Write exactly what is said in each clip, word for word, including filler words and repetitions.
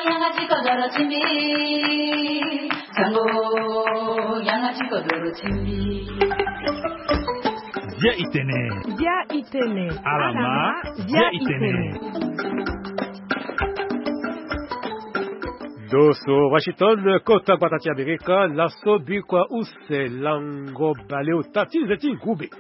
Yanga ti kodoro ti mbi. Sango, yanga ti kodoro ti mbi. Bia itene. Bia itene. Alama, bia itene. Ndo so Washington, kota gbata ti Amerika, laso bikua use lango baleota ti nze ti ngube.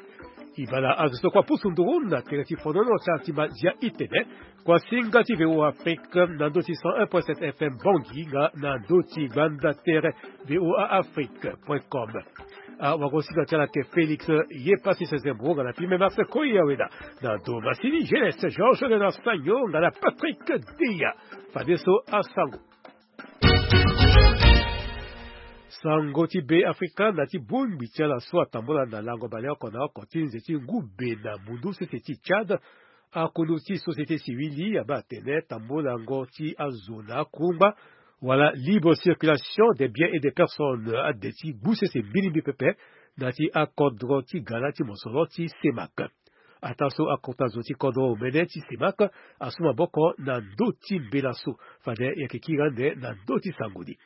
E baa na azo so kua pusu nduru na tere ti fonono ti ala ti ma Zia itene. Kua singa ti V O A Afrique na ndö ti cent un point sept F M Bangui nga na ndö ti gbanda tere V O A Afrique point com. Awagosinga ti ala ayeke Félix Yepassi Sezembro nga na Pime Marcel Koyaweda. Na ndo masini G L S Georges Léonard Sagno nga na Patrick Deya. Fadeso asango. Sango ti Be Afrika na ti bongbi ti ala so atambula na lango baleoko na oko ti nze ti ngube na mundu sese ti Tchad. Akunu ti société civile abaa atene tambulango ti azo na akungba wala libre circulation des biens et des personnes ade ti gbu sese mbilimbi pepe na ti akodro ti gala ti mosoro ti CEMAC. Ataa so akota zo ti kodro omene ti CEMAC asu maboko na ndö ti mbela so. Fade e yeke kiri ande na ndö ti sango ni.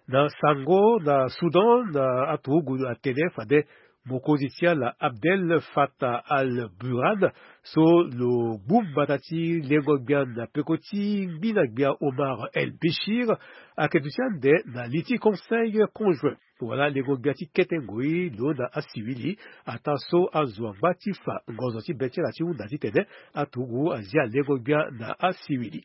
Na sango na Soudan, na aturugu atene fade mokonzi ti ala Abdel Fattah al-Burhan so lo gbu mbata ti lengo gbia na peko ti ngbina gbia Omar el Béchir ayeke duti ande na li ti conseil conjoint wala lengo gbia ti kete ngoi lo na asivili. Ataa so azo angba ti fa ngonzo ti be ti ala ti hunda titene aturugu azia lengo gbia na asivili.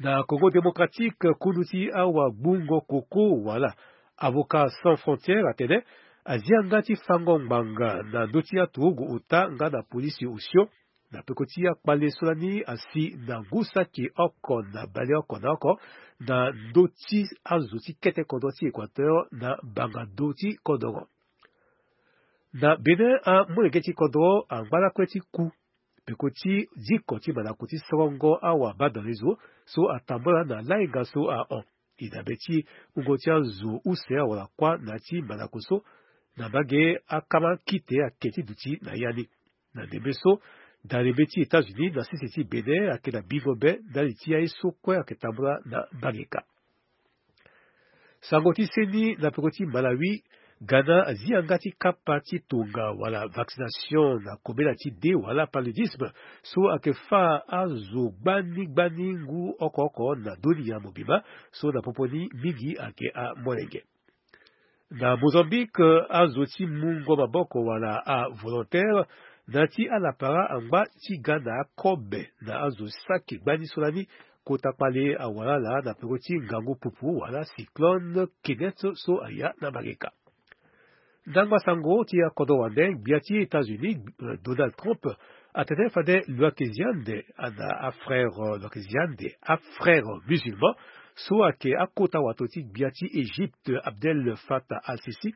Na Congo Démocratique, kundu ti awagbungo koko wala Avocats Sans Frontières atene azia nga ti fango ngbanga na ndö ti aturugu ota nga na polisi osio na peko ti akpale so lani asi na ngu saki oko na baleoko na oko na ndö ti azo ti kete kodro ti Équateur na banga do ti kodoro. Na Bénin, amolenge ti kodro angba lakue ti ku peko ti diko ti mandako ti sorongo awa badalezo so atambula na lainga so ahon. E dabe ti wungo ti azo use awara kuâ na ya ti mandako so na mbage akama kite ake ti duti na ya ni. Na ndembe so, dalembe ti États-Unis na sese ti Bénin ayeke na bingo be ndali ti aye so kue ayeke tambula na mbage ka. Sango ti seni na peko ti Malawi, Ghana azi yanga ti kapa ti tonga wala vaccination na kobela ti de wala paludisme so ayeke fâ azo gbani gbani ngu oko oko na dunia mobimba so na popo ni mingi ayeke amolenge. Na Mozambique, azo ti mungo maboko wala avolontaire na ya ti alapara angba ti ga na akobe na azo saki gbani so lani kota kpale awara ala na peko ti ngangu pupu wala cyclone Kenneth so aya na mbage ka. Ndangba sango ti akodro wande, gbia ti États-Unis, eh, Donald Trump, atene fade lo yeke zi ande na afrère, eh, lo yeke zi ande afrère musulman so ayeke akota wato ti gbia ti Égypte Abdel Fattah al-Sisi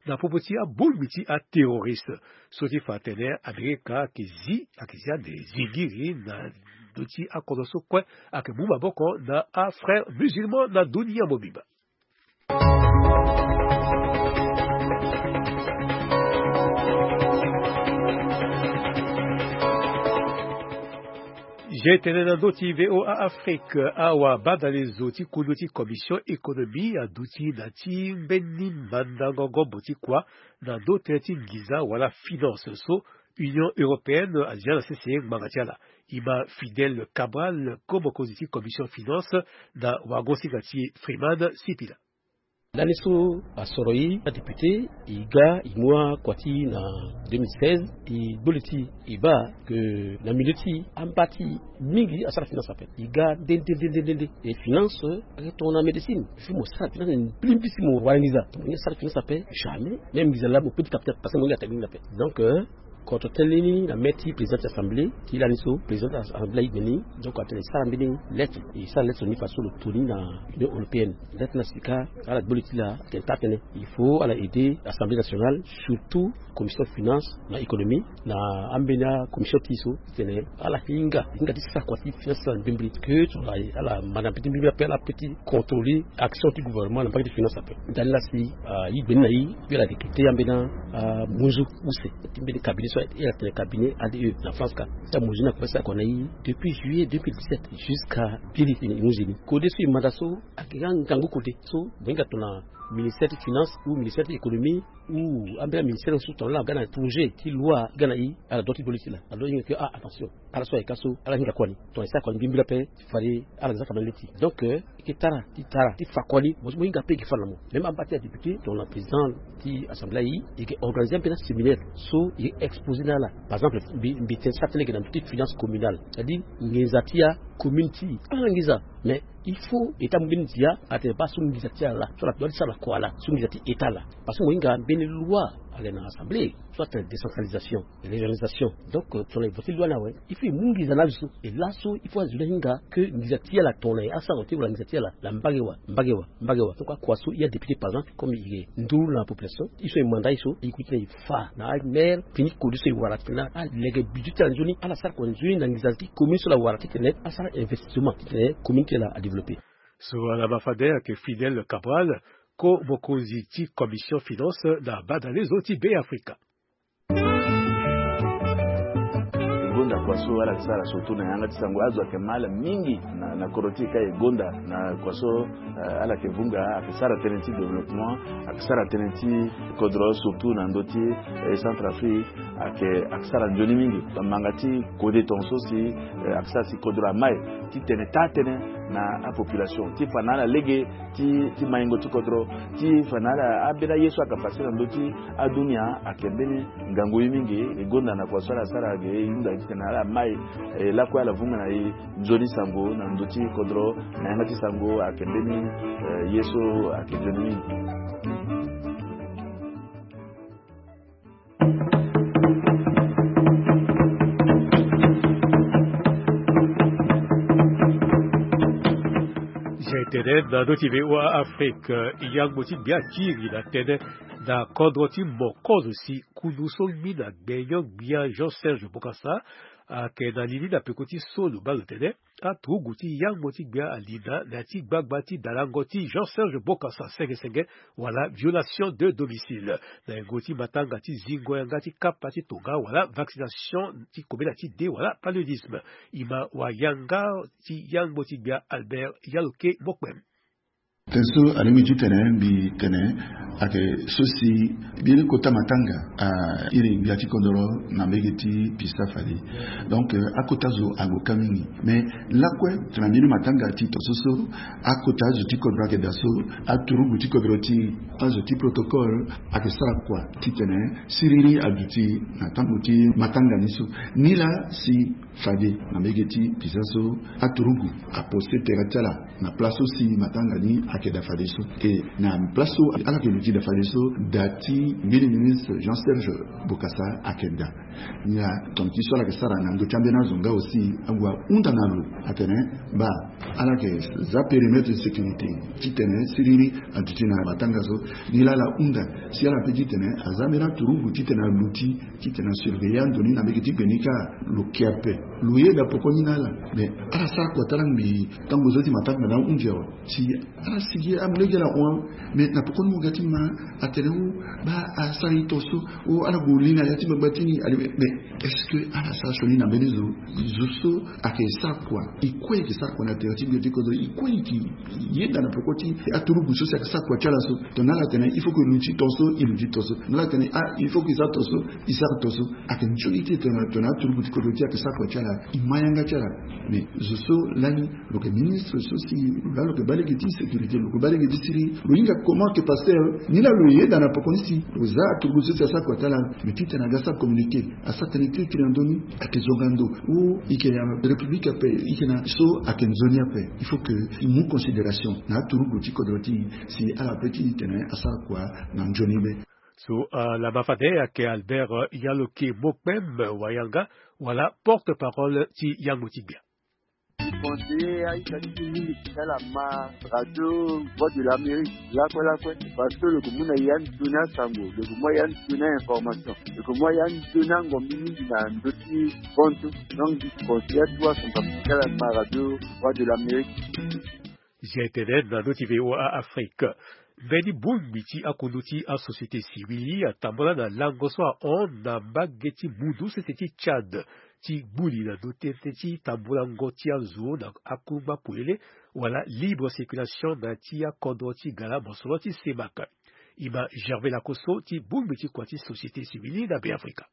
na popo ti abongbi ti aterroriste so ti fa atene Amerika ayeke zi, ayeke zi ande zingiri na ndö ti akodro so kue ayeke mu maboko na afrère musulman na dunia mobimba. Je tene na ndö ti V O A Afrique, awa badalezo ti kundu ti Commission Économie aduti na ti mbeni mandango gombo ti kua na ndö tënë ti nginza wala finance so Union Européenne azia na sese ngbanga ti ala. E ma Fidèle Cabral comme mokonzi ti Commission Finance na wagosinga ti Freeman Sipila. Lani so asoro e adéputé, e ga e mu akua ti e na deux mille seize, e gbu li ti e baa ke na milieu ti e amba ti e mingi asara finance ape. E ga nde nde nde nde nde. E finance ayeke tongana médecine. Il faut mo sara finance na mbi mbi si mo wara nginza. Mo ni asara finance ape jamais. Même nginza laa mo peut ti capter parce que mo ni attaque nginza ape. Donc, euh, Kodro tënë ni na mê ti président ti assemblée ti lani so président ti assemblée aye gbe ni. Donc atene e sara mbeni lettre, e sara lettre ni faso lo to ni na Union européenne. Lettre ni asika ala gbu li ti laa atene taa tënë il faut ala aider assemblée nationale, surtout commission finance na économie na ambeni acommission ti e so titene ala hinga hinga ti sara kua ti finance na mbrimbri ke so ala ala ma na mbeti mbrimbri ape ala peut ti contrôler action ti gouvernement na mbage ti finance ape. Ndani laa si aye gbe ni na e puis ala recruter ambeni amunzu use ti mbeni cabinet So e atene cabinet A D E na France ka, so amozini akua so akua na e depuis juillet deux mille dix-sept jusqu'à biri e mu zeni. Kode so e manda so ayeke nga ngangu kode so mo hinga tongana ministère ti finance ou ministère ti économie ou ambeni aministère so tongana ala ga na projet ti loi ga na e, ala doit ti do li ti la, ala doit hinga ke ah attention, ala so ayeke ka so ala hinga kua ni. Tongana e sara kua ni mbirimbiri ape, fade ala ga za kua na leti. Donc euh, e ke tara ti tara ti fa kua ni, mo so mo hinga ape e ke fa na mo. Même amba ti adéputé tongana président ti assemblée aye, e ke organiser ambeni aséminaire so e ke exposer na ala. Par exemple mbi mbi tene sara ti lege na ndö ti finance communale, c'est-à-dire nginza ti acommune ti e, ala nginza. Mais il faut e ta mu mbeni ndia atene baa so nginza ti ala la so ala doit ti sara na kua la, so nginza ti état la. Parce que mo hinga mbeni loi ale na assemblée so atene décentralisation, régionalisation. Donc euh, tongana e voter loi ni awe, il faut e mu nginza na azo so. E laso il faut azo ni ahinga ke nginza ti ala tongana e asara ti wala nginza ti ala la mbage wa mbage wa mbage wa. Donc akua so e adéputé par exemple comme e nduru na population, e so e manda e so e ku ti na e fa na amaire fini kode so e wara titene alege budget ti ala nzoni, ala sara kua nzoni na nginza ti commune so ala wara titene asara investissement titene commune ti ala adéveloppé. So ala ma fade ayeke Fidèle Cabral, ko mokonzi ti commission finance na badalezo ti Beafrika. E gonda kua so ala yeke sara surtout na yanga ti sango, azo ayeke ma ala mingi na, na kodro ti e ka e gonda na kua so, eh, ala yeke vunga, ayeke sara tënë ti développement, ayeke sara tënë ti kodro surtout na ndö ti, eh, Centrafrique, ayeke, ayeke sara nzoni mingi. Manga ti kode tongaso si, eh, ayeke sara si kodro amai titene taa tënë na apopulation ti fa na ala lege ti, ti maingo ti kodro, ti fa na ala ambeni aye so ayeke pase na ndö ti adunia. Ayeke mbeni ngangu ye mingi. E gonda na kua so ala sara ge e hunda titene ala mai, eh, lakue ala vunga na e nzoni sango na ndö ti kodro na yanga ti sango ayeke mbeni, eh, ye so ayeke nzoni mingi. Zia e tene na ndö ti V O A Afrique, yangbo ti gbia akiri na tënë na kodro ti Mokozo si kundu so ngbina gbenyo-gbia Jean Serge Bokassa ayeke na li ni na peko ti so lo baa lo tene aturugu ti yangbo ti gbia alinda na ya ti gbagba ti dalango ti Jean Serge Bokassa senge senge wala violation de domicile. Na yengo ti matanga ti zingo yanga ti kapa ti tonga wala vaccination ti kobela ti de wala paludisme. E ma wayanga ti yangbo ti gbia Albert Yaloke Mokpem. Tënë so alingbi titene mbi tene ayeke so si mbeni kota matanga a iri gbia ti kodro na mbege ti Pisa Fade. Donc, euh, akota zo ague ka mingi. Mais lakue tongana mbeni matanga ti tongaso so akota azo ti kodro ayeke daa so, aturugu ti kodro ti azo ti protocole ayeke sara kua titene siriri aduti na tango ti matanga ni so. Nilaa si fade na mbege ti Pisa so aturugu apose tere ti ala na place so si matanga ni ayeke daa fadeso. E na place so ala yeke luti daa fadeso, da ti mbeni ministre Jean Serge Bokassa ayeke daa. Nilaa tongana ti so ala yeke sara na ndö ti ambeni azo nga aussi ague ahunda na lo atene baa ala yeke za périmètre de sécurité titene siriri aduti na matanga so. Nilaa ala hunda si ala peut titene aza ambeni aturugu titene aluti titene asurveiller ando ni na mbege ti gbe ni kâ. Lo ke ape, lo yeda poko ni na ala. Mais ala sara kua ti ala ngbii tango zo ti matanga ni ahunzi awe. Si ala sigi amu lege ala hon. Mais na poko ni mo ga ti ma atene o baa asara e tongaso, o ala gue li na ya ti gbagba ti ni. Mais est-ce que ala sara sioni na mbeni zo? Zo so ayeke sara kua, e kue e yeke sara kua na tere ti gbia ti kodro, e kue e yeke yeda na peko ti aturugu so si ayeke sara kua ti ala so. Tongana ala tene il faut que e luti tongaso, e luti tongaso. Tongana ala tene ah il faut que e sara tongaso, e sara tongaso. Ayeke nzoni ti e tongana, tongana aturugu ti kodro ti e ayeke sara kua ti ala, e ma yanga ti ala. Mais zo so lani lo yeke ministre so si lo laa lo yeke baa lege ti sécurité, lo yeke baa lege ti siriri, lo hinga comment que pasteur ni laa lo yeda na poko ni si lo za aturugu so si asara kua ti ala. Mais titene aga sara communiqué, asara tënë kirikiri na ndö ni, ayeke zonga ndo. O e yeke na République ape, e yeke na so ayeke nzoni ape. Il faut que e mu considération na aturugu ti kodro ti e si ala peut ti tene asara kua na nzoni be. So, euh, lama fade ayeke Albert, euh, Yaloke Mokpem, euh, wayanga wala porte-parole ti yangbo ti gbia. Conseiller aita ti ti mingi ti ala ma radio Voix de l'Amérique lakue lakue, parce que lo yeke mu na ya nzoni asango, lo yeke mu ya nzoni a-information, lo yeke mu ya nzoni angombi mingi na ndö ti kontu. Donc mbi conseiller atuwa son kapa ti ala ma radio Voix de l'Amérique. Zia e tene na ndö ti V O A Afrique. Mbeni bongbi ti akondo ti asociété civile atambula na lango so ahon na mbage ti mundu sese ti Tchad ti gbuli na ndo tënë ti tambulango ti azo na akungba polele wala libre circulation na ti akodro ti gara mosoro ti CEMAC. E ma Gervais Lakosso ti bongbi ti kua ti société civile na Beafrika.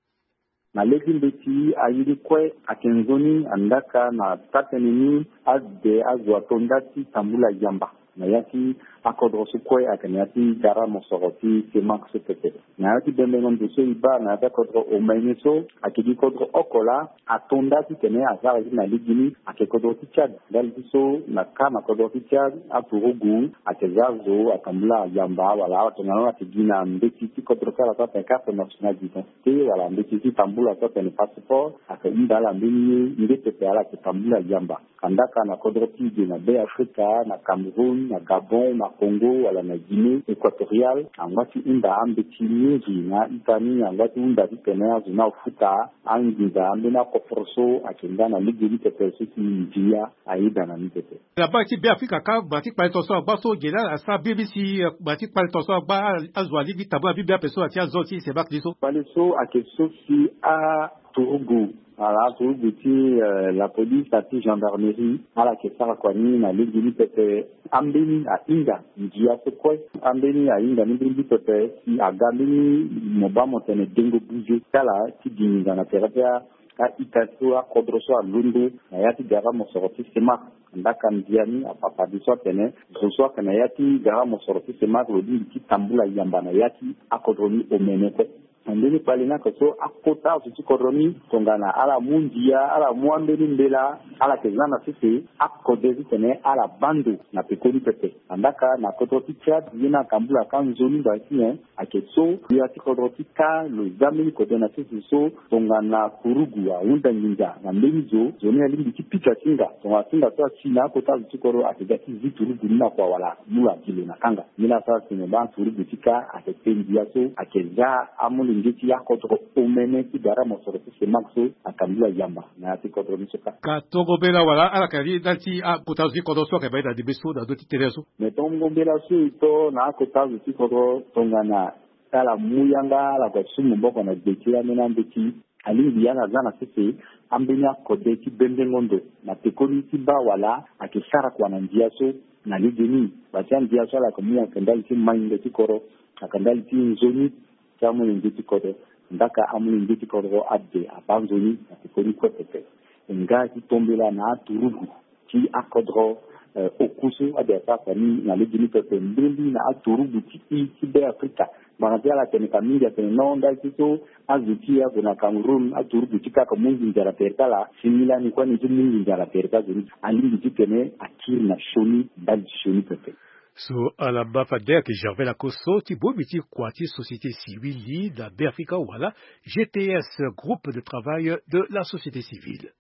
Na lege mbeti aye ni kue ayeke nzoni andaka na taa-tënë ni ade azo ato nda ti tambula yamba na ya ti akodro so kue ayeke na ya ti gara mosoro ti CEMAC so pepe. Na ya ti bembengo ndo so e baa na ya ti akodro omene so ayeke gi kodro oko laa ato nda titene asara ye ti na lege ni ayeke kodro ti Tchad. Ndali ti so na ka na kodro ti Tchad aturugu ayeke za zo atambula yamba wala tongana lo ayeke gi na mbeti ti kodro ti ala so atene carte nationale d'identité wala mbeti ti tambula so atene passeport ayeke hunda ala mbeni ye nde pepe ala yeke tambula yamba. Andaka na kodro ti e ge na Beafrika, na Cameroun, na Gabon, na Congo wala na Guinée équatoriale angba ti hunda ambeti mingi na ita ni angba ti hunda titene azo ni afuta anginza ambeni akoforo so ayeke nda na lege ni pepe so si ndia ayeda na ni pepe. Na baa ti Beafrika kâ gba ti kpale tongaso agba so ge laa asara biri si gba ti kpale tongaso agba azo alingbi tambula biri ape so na ti azo ti CEMAC ni so. Kpale so ayeke so si a turugu ala aturugu ti eh, la police na ti gendarmerie ala yeke sara kua ni na lege ni pepe. Ambeni ahinga ngia so kue ambeni ahinga ni mbirimbiri pepe si aga mbeni mo baa mo tene dengo buze ti ala ti gi nginza na tere ti a-ita so akodro so alondo na ya ti gara mosoro ti CEMAC. Andaka ndia ni apapa de so atene zo so ayeke na ya ti gara mosoro ti CEMAC lo lingbi ti tambula yamba na ya ti akodro ni omene kue. Na ndeni kpale ni ayeke so akota azo ti kodro ni tongana ala mu ndia ala mu ambeni mbela ala yeke za na sese akode titene ala baa ndo na pekoni pepe. Andaka na kodro ti Tchad ye ni atambula kâ nzoni ngba ti nyen ayeke so ya ti kodro ti kâ lo za mbeni kode na sese so tongana kurugu ahunda nginza na mbeni zo zo ni alingbi ti pika ti hinga tongana ti hinga so asi na akota azo ti kodro ayeke ga ti zi turugu ni na kua wala mu lo agi lo na kanga. Nilaa asara si mo baa turugu ti kâ ayeke te ndia so ayeke za amolenge ti akodro omene ti gara mosoro ti CEMAC so atambula yamba na ya ti kodro ni so kâ. Ka tongo mbela wala ala yeke li ndali ti akota zo ti kodro so ayeke baa ye na ndembe so na ndö ti tere so. Me tongo mbela so e to na akota zo ti kodro tongana ala mu yanga ala gue ti su maboko na gbe ti ambeni ambeti alingbi ala za na sese ambeni akode ti bembengo ndo na pekoni ti baa wala ayeke sara kua na ndia so na legeni. Bati andia so ala yeke mu ayeke ndali ti maindo ti kodro ayeke ndali ti nzoni ti amolenge ti kodro. Ndaka amolenge ti kodro ade abaa nzoni na pekoni kue pepe. E nga ti tombela na aturugu ti akodro eh, oku so ade asara kua ni na lege ni pepe mbirimbiri na aturugu ti i ti Beafrika. Ngbanga ti ala atene ka mingi atene non ndali ti so azo ti e ague na Cameroun aturugu ti kâ ake mu nginza na tere ti ala si ni lani kue ni ti mu nginza na tere ti azo ni alingbi titene akiri na sioni ndali ti sioni pepe. So ala ma fade ayeke Gervais Lakosso ti bongbi ti kua ti société civile na Beafrika wala G T S, groupe de travail de la société civile.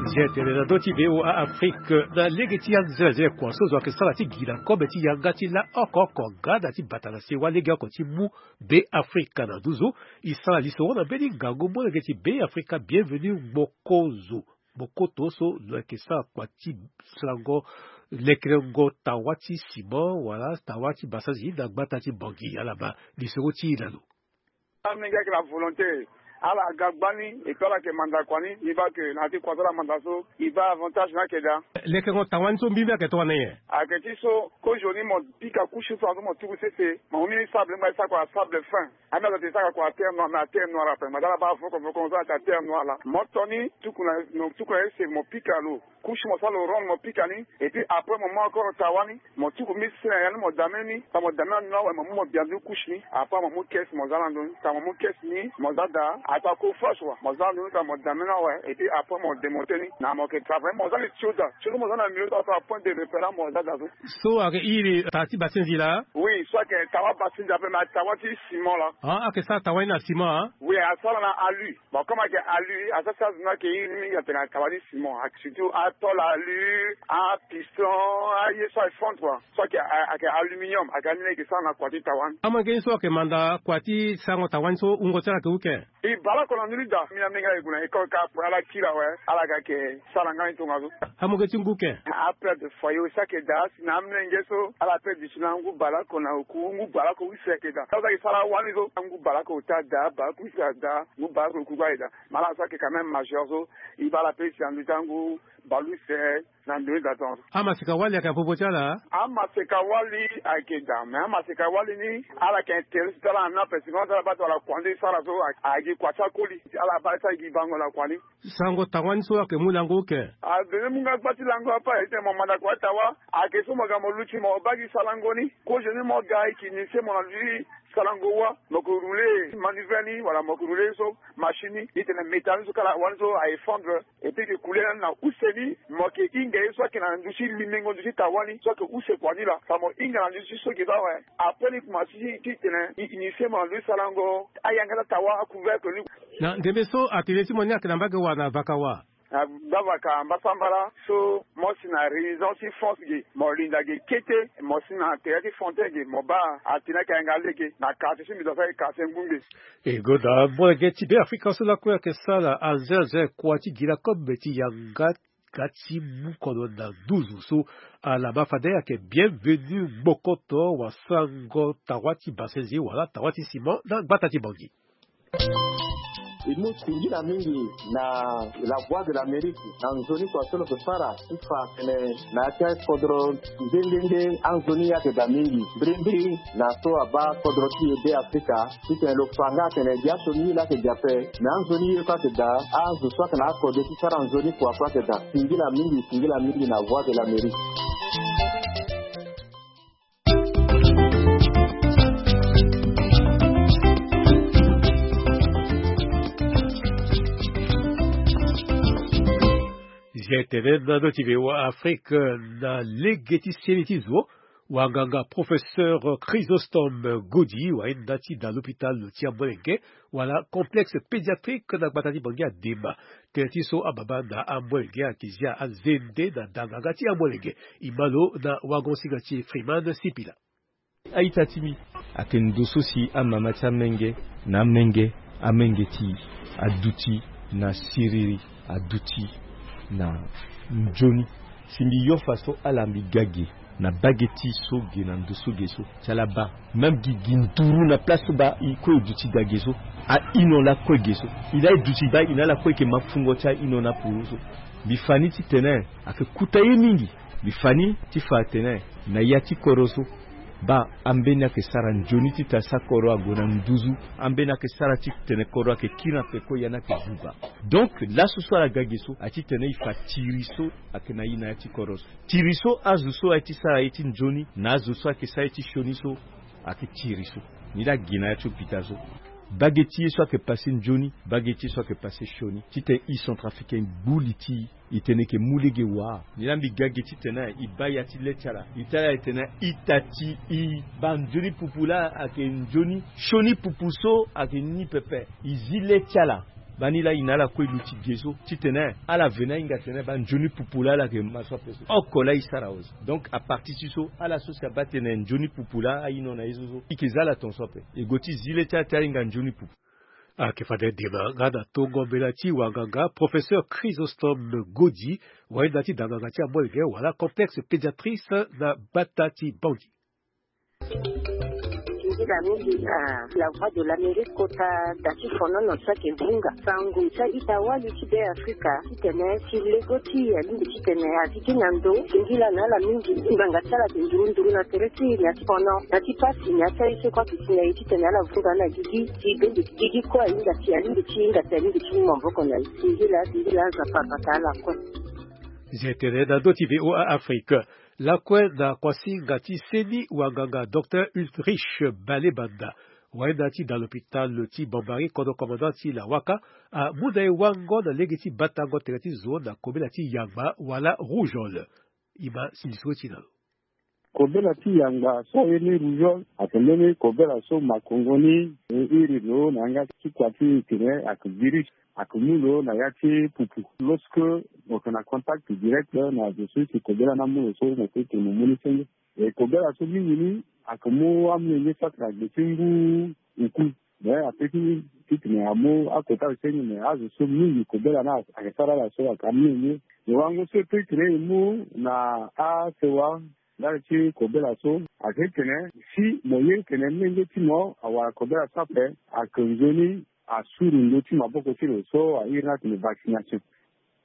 Nzia tene na ndö ti V O A Afrique na lege ti anzelazela kua so zo ayeke sara ti gi na kobe ti yanga ti la oko oko nga na ti bata na sewa legeoko ti mu Beafrika na nduzu. E sara lisoro na mbeni ngangu molenge ti Beafrika Bienvenu Mokozo. Mokoto so lo yeke sara kua ti sarango lekerengo tawa ti ciment wala tawa ti basanzi na gbata ti Bangui. Ala ma lisoro ti e na lo. Amenge ayeke na volonté. Ala ga gbani et puis ala yeke manda kua ni. E baa ke na ya ti kua so ala manda so e baa avantage ni ayeke daa. Lekerengo tawa ni so mbimbi ayeke tongana nyen? Ayeke ti so kozoni mo pika kusi so azo mo tuku sese mo mu ni sable ngba e sara kua sable fin. Ame azo ate saka kua terre noire mais aterre noire ape ngba ti ala baa voko voko so ate aterre noire laa mo to ni tuku na tuku na ese mo pika lo. Kusi mo sara lo ronde mo pika ni. Et puis après mo mu encore tawa ni mo tuku mbeni se na ya ni mo dame ni. Tongana mo dame na ni awe mo mu mo bia ndu kusi ni. Après mo mu kese mo za na ndo ni tongana mo mu kese ni mo za daa. Ata ko flash wa mo za na ndo ni tongana mo dame ni awe. Et puis après mo demonte ni na mo yeke travaille mo za li tioda tioda mo za na milieu so ata point de repère mo za daa so. So ayeke iri taa ti basenzi laa. Oui so ayeke tawa basenzi ape mais tawa ti ciment laa. Ah, ayeke sara tawa ni na ciment ah. Oui asara na alu. Bon comme ayeke alu asara si azo ni ayeke iri mingi atene tawa ti ciment surtout atol alu, apiston, aye so ayeke fond kua. So ayeke ayeke aluminium ayeke ani ni ayeke sara na kua ti tawa ni. Amolenge ni so ayeke manda kua ti sarango tawa ni so wungo ti ala ayeke hu ke? Bale oko na ndö ni daa. Mbi na menge ayeke gue na école kâ ape, ala kiri awe, ala ga ayeke sara nga ni tongaso. Amoke ti ngu ken? Apère de foyer aussi ayeke daa. Si na amolenge so ala père du ti na ngu bale oko na oku, ngu bale oko use ayeke daa. Ala so ayeke sara wani so, ngu bale oko ota daa, bale oko use adaa, ngu bale oko oku kue ayeke daa. Mais ala so ayeke quand même majeur so, e baa ala père du ti na ndö ti angu bale use na ndö ni daa tongaso. Amaseka-wali ayeke na popo ti ala? Amaseka-wali ayeke daa, mais amaseka-wali ni ala yeke intéressé ti ala na ni ape, sinon ti ala baa tongana kua nde e sara so, ayeke kua ti akoli. Ala baa ti ala gi bango na kua ni. Sarango tawa ni so ayeke mu lango oko? Adene mu nga gba ti lango ape, aye ti tene mo manda kua ti tawa. Ayeke so mo ga mo luti mo baa gi sarango ni. Kozo ni mo ga e yeke initié mo na ndö ti sarango wa. Mo yeke rouler manivelle ni wala mo yeke rouler so machine ni, e tene métal ni so kala wani so a effondre. Et puis e yeke coulé na use ni, mo yeke hinga ye so ayeke na ndö ti limengo ndö ti tawa ni so ayeke use kua ni laa. Fa mo hinga na ndö ti so ge so awe. Après ni kuma si ti tene e initié mo na ndö ti sarango ayanga ti atawa, acouvercle ni. Na ndembe so atelier ti mo ni ayeke na mbage wa na vaka wa? Na gbavaka mbasambala so mo si na région ti France ge, mo linda ge kete, mo si na tere ti Fontaine ge, mo baa atene ayeke yanga lege na quartier ti mbi, donc ayeke quartier Ngungbe. E gonda molenge ti Beafrika so lakue ayeke sara aze aze kua ti gi lakue ti yanga ga ti mu kodro na nduzu so. Ala ma fade ayeke bienvenu gbokoto wa sarango tawa ti bassin wala tawa ti ciment na gbata ti Bangui. E mu singila mingi na La Voix de l'Amérique na nzoni kua so lo yeke sara ti fa atene na ya ti akodro nde nde nde anzoni ayeke daa mingi. Mbirimbiri na so abaa kodro ti e Beafrika, titene lo fa nga atene gi asioni ye laa ayeke gi ape, me anzoni ye kue ayeke daa, azo so ayeke na akode ti sara nzoni kua kue ayeke daa. Singila mingi, singila mingi na Voix de l'Amérique. Zia tene na ndö ti V O A Afrique, na lege ti seni ti zo, wanganga professeur Chrysostome Godi, wa ahinda ti da l'hôpital ti amolenge, wala complexe pédiatrique na gbata ti Bangui adema. Tënë ti so ababa na amolenge ayeke zia azende na danganga ti amolenge. E ma lo na wagon-singa ti Freeman Sipila. A-ita ti mbi ayeke ndo so si amama ti amenge na amenge, amenge ti e aduti na siriri, aduti na nzoni. Si mbi yo fa so ala mbi ga ge na bage ti so ge na ndo so ge so, ti ala baa même gi gi nduru na place so baa e kue e duti daa ge so, a-ino lakue ge so. E laa e duti baa e na ala kue e yeke ma fungo ti a-ino na puru so. Mbi fa ni titene ayeke kuta ye mingi. Mbi fa ni ti fa atene na ya ti kodro so, baa ambeni ayeke sara nzoni ti tene sa kodro ague na nduzu. Ambeni ayeke sara ti tene kodro ayeke kiri na peko, ya ni ayeke buba. Donc laso so ala ga ge so aye ti tene e fa tiri so ayeke na e na ya ti kodro so. Tiri so azo so aye ti sara ye ti nzoni na azo so ayeke sara ye ti sioni so, ayeke tiri so. Ni laa gi na ya ti hôpital so. Bage ti ye so ayeke passé nzoni, bage ti ye so ayeke passé sioni. Titene e centrafricain gbu li ti e, e tene e yeke mu lege wa. Ni laa mbi ga ge titene e baa ya ti le ti ala, e tara e tene ita ti e baa nzoni pupu laa ayeke nzoni, sioni pupu so ayeke ni pepe. E zi le ti ala. Baa ni laa e na ala kue e luti ge so titene ala veni ahinga tene baa nzoni pupu laa ala yeke ma so ape so. Oko laa e sara awe so. Donc à partir ti so, ala so si abaa tene nzoni pupu laa a-ino na ye so so, e yeke za ala ton so ape. E gue ti zi le ti ala ti ahinga nzoni pupu. Ayeke fade dema nga na tongo mbela ti wanganga professeur Chrysostome Godi, wa ahinda ti da nganga ti amolenge wala complexe pédiatrice na gbata ti Bangui. Singila mingi na La Voix de l'Amérique kota da ti fonono so ayeke vunga sango ti a-ita wali ti Beafrika titene si lego ti e alingbi titene azi gi na ndo. Singila na ala mingi. Ngbanga ti ala ayeke nduru nduru na tere ti e na ti fono na ti pasi na ya ti aye so kue ayeke si na e titene ala vunga ala gigi. Si bende ti gigi kue ahinga si alingbi ti hinga si alingbi ti mu maboko na e. Singila, singila, Nzapa abata ala kue. Zia tene na ndö ti V O A Afrique. Lakue na kuasinga ti seni wanganga docteur Ulrich Balebanda, wa ahinda ti da l'hôpital ti Bambari, kodro commandant ti Lawaka, amu na e wango na lege ti batango tere ti zo na kobela ti yangba wala rougeole. E ma sindisi ti e na lo. Kobela ti yangba so aye ni rougeole ayeke mbeni kobela so makongo ni e iri lo na yanga ti kua ti e tene ayeke virus. Ayeke mu lo na ya ti pupu. Lorsque mo yeke na contact direct na zo so si kobela ni amu lo so, mo peut tene mo mu ni senge. E kobela so mingi ni ayeke mu amolenge so ayeke na gbe ti ngu oku. Mais ape ti titene amu akota so ni me azo so mingi kobela na ayeke sara ala so ayeke amenge. Lo wango so e pe titene e mu na asewa ndali ti kobela so ayeke titene si mo ye titene menge ti mo awara kobela so ape, ayeke nzoni asuru ndö ti maboko ti lo so a iri ni atene vaccination.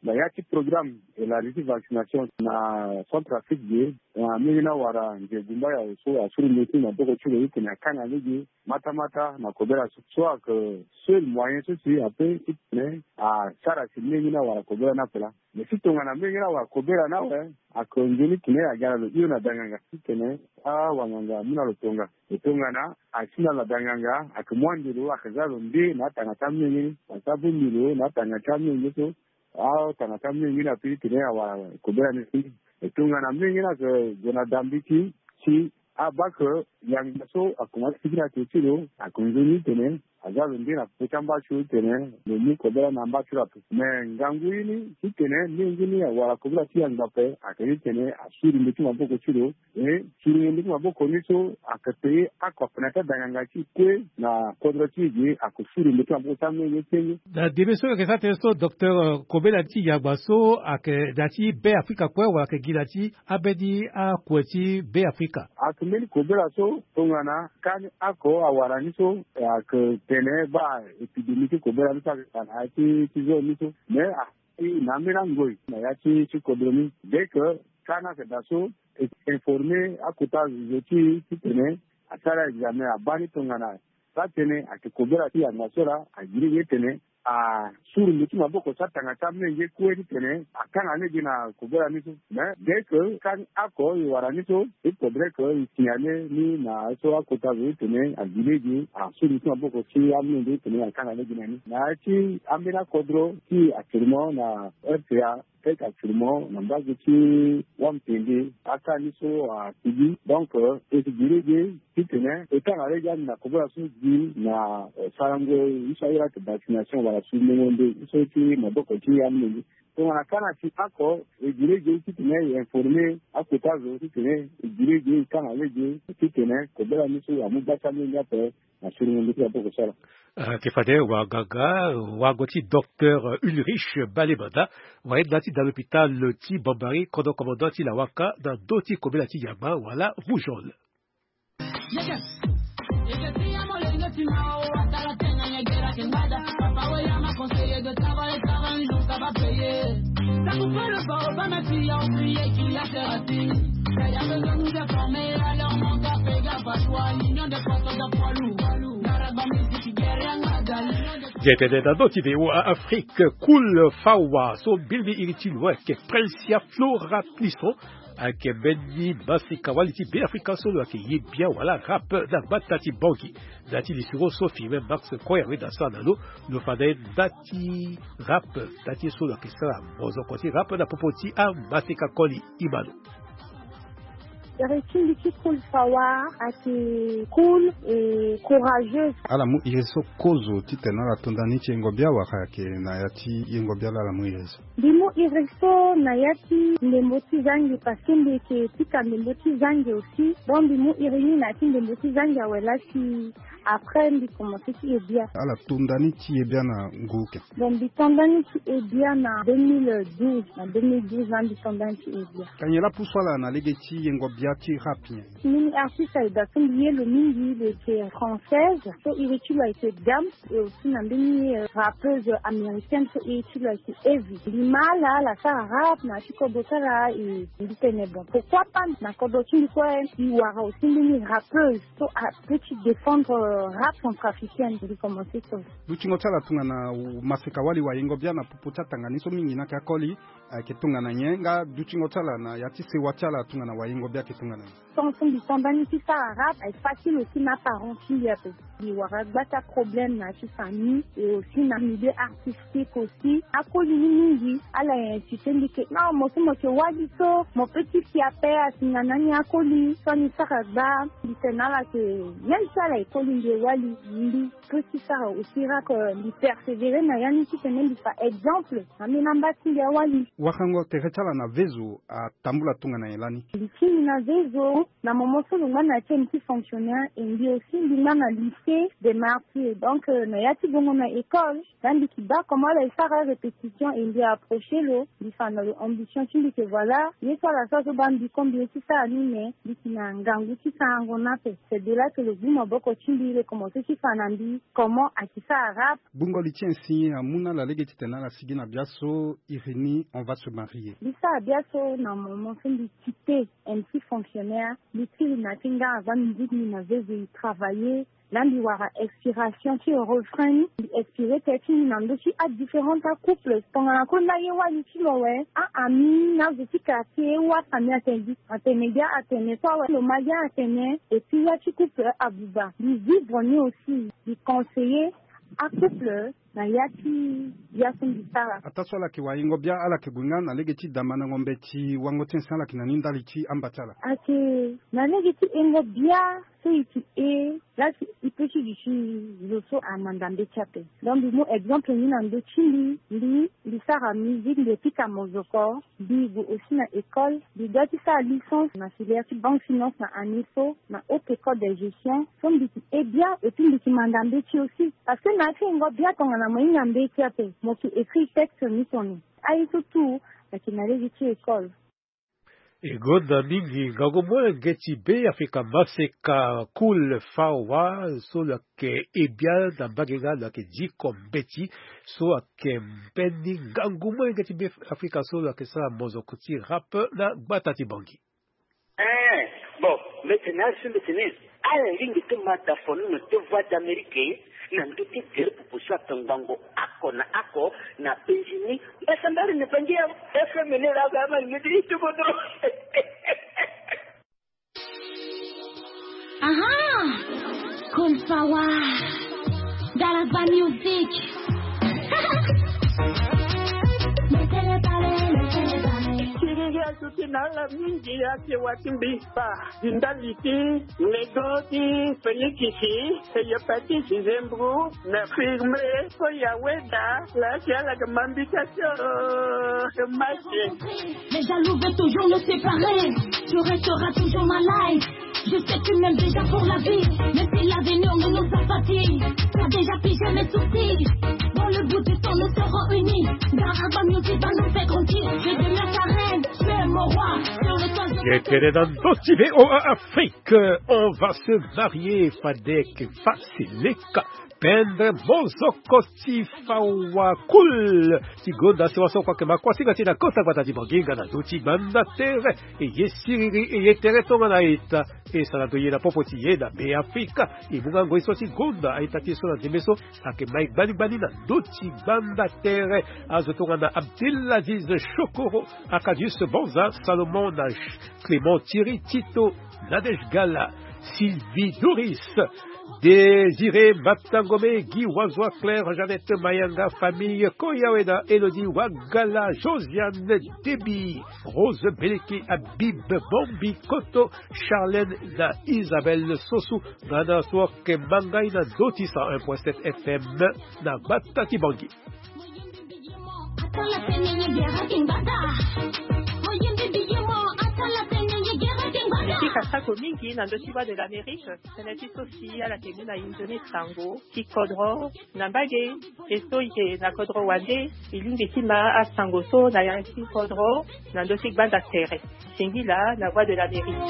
Na ya ti programme élargi ti vaccination na Centrafrique ge, na mingi na wara nze gumba ya so asuru ndö ti maboko ti lo titene akanga lege matamata na kobela so so ayeke seul moyen so si ape titene asara si mingi na wara kobela ni ape laa. Mais si tongana mingi na wara kobela ni awe, ayeke nzoni titene aga na lo hio na danganga titene awanganga amu na lo tonga. E tongana asi na lo na danganga, ayeke mu ande lo ayeke za lo nde na atanga ti amenge ni, asi abongbi lo na atanga ti amenge so. Atanga ti amenge ni ape titene awara kobela ni si. E tongana menge ni ayeke gue na dambi ti si abaa ke yanga so akomanse ti gi na tere ti lo, ayeke nzoni titene aza lo nde na popo ti amba ti lo titene lo mu kobela na amba ti lo ape. Me ngangu ye ni titene menge ni awara kobela ti yanga ape ayeke ni titene asuru ndö ti maboko ti lo. E suru ndö ti maboko ni so ayeke paye oko na ya ti adanganga ti e kue na kodro ti e ge ayeke suru ndö ti maboko ti amenge senge. Na debe so e yeke sara tënë so docteur, eh, kobela ti yagba so ayeke na ya ti Be Afrika kue wala ayeke gi na ya ti ambeni akue ti Be Afrika? Ayeke mbeni kobela so tongana kani oko awara ni so ayeke tene baa épidémie ti kobela ni so ayeke na ya ti ti zone ni so. Mais ayeke na ambeni angoi na ya ti ti kodro ni. Dès que kani ayeke daa so e informe akota zo ti e titene asara examen abaa ni tongana sara tënë ayeke kobela ti yanga so laa, agi lege titene asuru ndö ti maboko ti atanga ti amenge kue titene akanga lege na kobela ni so. Mais dès que kani oko e wara ni so, il faudrait que e signale ni na aye so akota zo titene agi lege asuru ndö ti maboko ti amenge titene akanga lege na ni. Na ya ti ambeni akodro ti actuellement na R C A, tek actuellement na mbage ti wamtende aka ni so asigi. Donc e si gi lege titene e kanga lege ande na kobela so gi na, eh, sarango ye so ayeke vaccination wala surumengo nde ye so ti maboko ti amolenge. Tongana ka na si oko e gi lege titene e informe akota zo titene e gi lege e kanga lege titene kobela ni so amu gbata lenge ape. Na suru ngu nduku ya boko sara. Ah, ke fade wanganga wango ti docteur Ulrich Balemanda, wa ye nda ti da l'hôpital ti Bambari, kodro commandant ti Lawaka, na ndö ti kobela ti yamba wala rougeole. Ge tene na ndö ti V O A Afrique, Cool Fawa so mbirimbiri iri ti lo ayeke Princia Flora Plisson, ayeke mbeni masika wali ti Beafrika so lo yeke ye bien wala rap na gbata ti Bangui. Na ya ti lisoro so Firmin Max Koya weda sara na lo, lo fa na ye nda ti rap, nda ti ye so lo yeke sara mozoko ti rap na popo ti amaseka koli. Imano. Iri ti mbi ti Cool Fawa ayeke cool et courageuse. Ala mu iri so kozo titene ala to nda ni ti yengo bia wala ayeke na ya ti yengo bia laa ala mu iri so? Mbi mu iri so na ya ti ndembo ti zange, parce que mbi yeke pika ndembo ti zange aussi. Donc mbi mu iri ni na ya ti ndembo ti zange awe laa si après mbi commencé ti ye bia. Ala to nda ni ti ye bia na ngu ken? Donc mbi to nda ni ti ye bia na deux mille douze, na deux mille douze laa mbi to nda ni ti ye bia. Ka nyen laa apusu ala na lege ti yengo bia ti rap nyen? Mbeni artiste aye daa so mbi ye lo mingi, lo yeke française, so iri ti lo ayeke Diams, et aussi na mbeni, euh, rappeuse américaine so iri ti lo ayeke Evie. Mbi ma ala, ala sara rap na ya ti kodro ti ala, e mbi tene bon, pourquoi pas na kodro ti mbi kue, e wara aussi mbeni rappeuse so apeut ti défendre, euh, rap centrafricaine. Mbi commencé so. Dutingo ti ala tongana maseka wali wayengo bia na popo ti atanga ni so mingi ni ayeke akoli, ayeke tongana nyen? Nga dutingo ti ala na ya ti sewa ti ala tongana wayengo bia ayeke tongana nyen? Tant so mbi to nda ni ti sara rap, ayeke facile aussi na aparent ti mbi ape. Mbi wara gbata problème na ya ti famille et aussi na milieu artistique aussi. Akoli ni mingi ala ye incité mbi ke non, mo so mo yeke wali so mo peut ti si ape, asinga na ni akoli so ani sara gba. Mbi tene na ala ke même si ala ye koli Ye wali mbi peut ti sara aussi rap, euh, mbi persévérer na ya ni titene mbi fa exemple na ambeni amba ti mbi awali. Warango tere ti ala na vezo atambula tongana nyen lani? Mbi ti mbi na vezo na moment so lo ngba na ti M T fonctionnaire, et mbi aussi mbi ngba na lycée des martyrs. Donc, euh, na ya ti bongo na école, na mbi ki baa comment ala e sara répétition, et mbi approcher lo, mbi fa na lo ambition ti mbi ke voilà, ye so ala sara so baa mbi comme mbi ye ti sara ni, mais mbi ki na ngangu ti sarango ni ape. C'est de là que lo gbu maboko ti mbi, lo commencer ti fa na mbi comment a ki sara rap. Gbungo li ti insigne amu na ala lege titene ala sigi na biaso, iri ni on va se marier. Mbi sara biaso na moment so mbi quitter M T fonctionnaire, mbi tiri na ti ngara gba musique ni na vezo, mbi travailler. Là mbi wara inspiration ti refrain ni, mbi inspiré tënë ti mbi na ndö ti adifférent acouple. Tongana kue na ye wali ti lo awe, a-ami na azo ti quartier, wasa ni atene gi, atene gi, atene so awe, lo ma gi atene. Et puis ya ti couple abuba, mbi vivre ni aussi, mbi conseiller acouple na ya ti ya so mbi sara. Ataa so ala yeke waingo bia, ala yeke gue nga na lege ti damandango mbeti wango ti insigne, ala yeke na ni ndali ti amba ti ala. Ayeke na lege ti hengo bia so e yeke e, la si e peut ti duti zo so amanda mbeti ape. Donc mbi mu exemple ni na ndö ti mbi, mbi, mbi sara musique, mbi pika mozoko, mbi gue aussi na école, mbi doit ti sara licence na filière ti banque finance na année so na haute école de gestion. So mbi ti e bia et puis mbi ti manda mbeti aussi. Parce que na ya ti hengo bia tongana mo hinga mbeti ape, mo ti écrit texte ni tongana aye so tout, na ti na lege ti école. E gonda mingi ngangu molenge ti Be Afrika Maseka Cool Fawa so lo yeke e bia na mbage nga lo yeke diko mbeti so ayeke mbeni ngangu molenge ti Be Afrika so lo yeke sara mozoko ti rap na gbata ti Bangui. Eh, bon, mbeti na azo ti mbeti ni. Ala lingbi ti ma da fono na ti Voix d'Amérique na ndö ti tere pupu so atongbango oko na oko na penzi ni. Mbasambari ni pangi ya F M ni la ga ma ni ti ti bodo. Aha! Cool Power. Dalaba Music. Siriri azuti na ala mingi ya ti wa ti mbi. Ba, ndali ti nego ti Felix, e ye Patrice Zembro, na firme, ko ya weda, la ti ala ga mambi ta tio, e masi. Les jaloux veulent toujours nous séparer. Tu resteras toujours ma life. Je sais que tu m'aimes déjà pour la vie. Mais si l'avenir ne nous a pas dit, t'as déjà pigé mes soucis. Dans le bout du temps, nous serons unis. Car Alba Music va nous faire grandir. Je demeure ta reine, tu es mon roi. Sur le toit, je... Ye tene na ndö ti V O A Afrique, on va se marier, fade yeke fasilika. Pendre mozoko ti Fawa Cool. Ti gonda sewa so kua yeke ma kuasinga ti na kota gbata ti Bangui nga na ndö ti gbanda tere. E ye siriri, e ye tere tongana ita. E sara ndo ye na popo ti ye na Be Afrika. E mu nga ngoi so ti gonda a-ita ti e so na ndembe so ayeke ma e gbani gbani na ndö ti gbanda tere. Azo tongana Abdelaziz Chokoro, Arcadius Bonza, Salomon na Clément Thierry Tito, Nadège Gala, Sylvie Doris, Désiré Matangomé, Guy Wazoa, Claire Jeannette Mayanga, famille Koyaweda, Elodie Wagala, Josiane Déby, Rose Beleke, Habib Bombi Koto, Charlène na Isabelle Sossou, nga na so ayeke ma ngai na ndö ti cent un point sept F M na gbata ti Bangui. Mbi kasa ko mingi na ndö ti Voix de l'Amérique, tënë ti so si ala yeke mu na inzo ni sango ti kodro na mbage, e so e yeke na kodro wande, e lingbi ti ma asango so na yanga ti kodro na ndö ti gbanda tere. Singila na Voix de l'Amérique.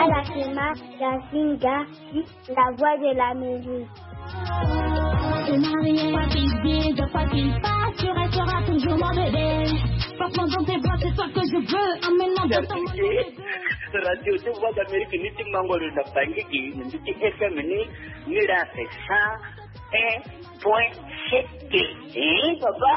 Ala yeke ma Gazinga, la Voix de l'Amérique. Radio ti Voix d'Amérique ni ti mango lo na Bangui, ni ti F M ni, ni la fait ça. Un point sept. Eh, papa.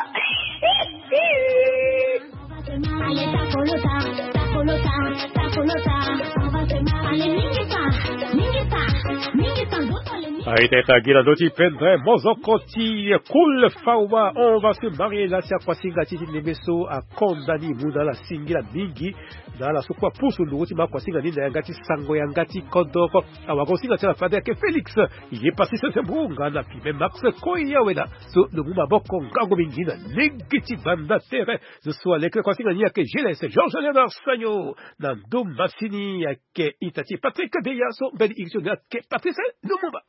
Aita ita gi na ndö ti pendre mozoko ti Cool Fawa, on va se marier la, si akuasinga ti ti ndembe so akonda ni mu na ala singila mingi. Na ala so kue apusu nduru ti ma akuasinga ni na yanga ti sango yanga ti kodoro. Awagosinga ti ala fade ayeke Félix, ye pasi sese mbu nga na pime Max Koya wena. So lo mu maboko ngangu mingi na lege ti banda tere. Zo so aleke kuasinga ni ayeke Gilles Georges Léonard Sagno. Na ndö masini ayeke ita ti Patrick Beya so mbeni iri ti lo ni ayeke Patrice Lumumba.